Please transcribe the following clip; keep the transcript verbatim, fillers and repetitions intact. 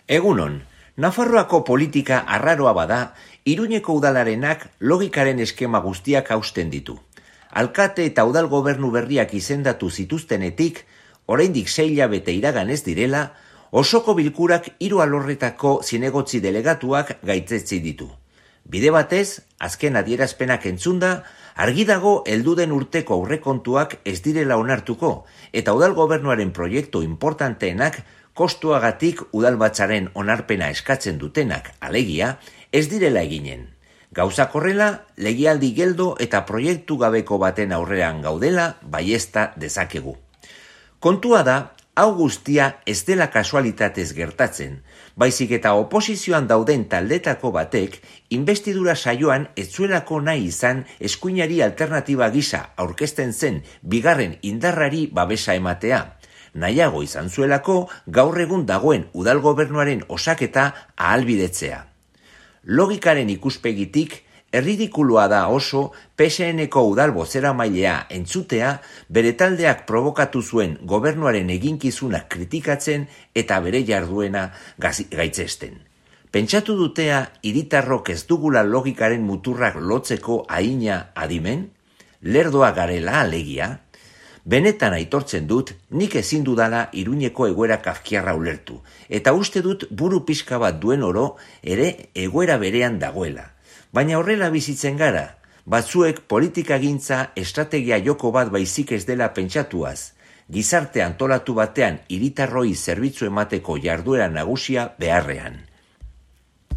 Egunon, Nafarroako politika arraroa bada, Iruñeko udalarenak logikaren eskema guztiak hausten ditu. Alkate eta udal gobernu berriak izendatu zituztenetik, oraindik sei hilabete iragan ez direla, osoko bilkurak hiru alorretako zinegotzi delegatuak gaitzetsi ditu. Bide batez, azken adierazpenak entzunda, argi dago helduden urteko aurrekontuak ez direla onartuko, eta udal gobernuaren proiektu importanteenak kostuagatik udalbatzaren onarpena eskatzen dutenak, alegia, ez direla eginen. Gauzak horrela, legealdi geldo eta proiektu gabeko baten aurrean gaudela baiezta dezakegu. Kontua da, hau guztia ez dela kasualitatez gertatzen, baizik eta oposizioan dauden taldetako batek inbestidura saioan ez zuelako nahi izan eskuinari alternatiba gisa aurkezten zen bigarren indarrari babesa ematea. Nahiago izan zuelako gaur egun dagoen udal gobernuaren osaketa ahalbidetzea. Logikaren ikuspegitik, erridikulua da oso P S N-ko udal bozeramailea entzutea bere taldeak probokatu zuen gobernuaren eginkizunak kritikatzen eta bere jarduena gaitzesten. Pentsatu dutea hiritarrok ez dugula logikaren muturrak lotzeko ahina adimen? Lerdoa garela alegia? Benetan aitortzen dut, nik ezin dudala Iruñeko egoera kafkiarra ulertu, eta uste dut buru pixka bat duen oro ere egoera berean dagoela. Baina horrela bizitzen gara, batzuek politikagintza estrategia joko bat baizik ez dela pentsatuaz, gizarte antolatu batean hiritarroi zerbitzu emateko jarduera nagusia beharrean.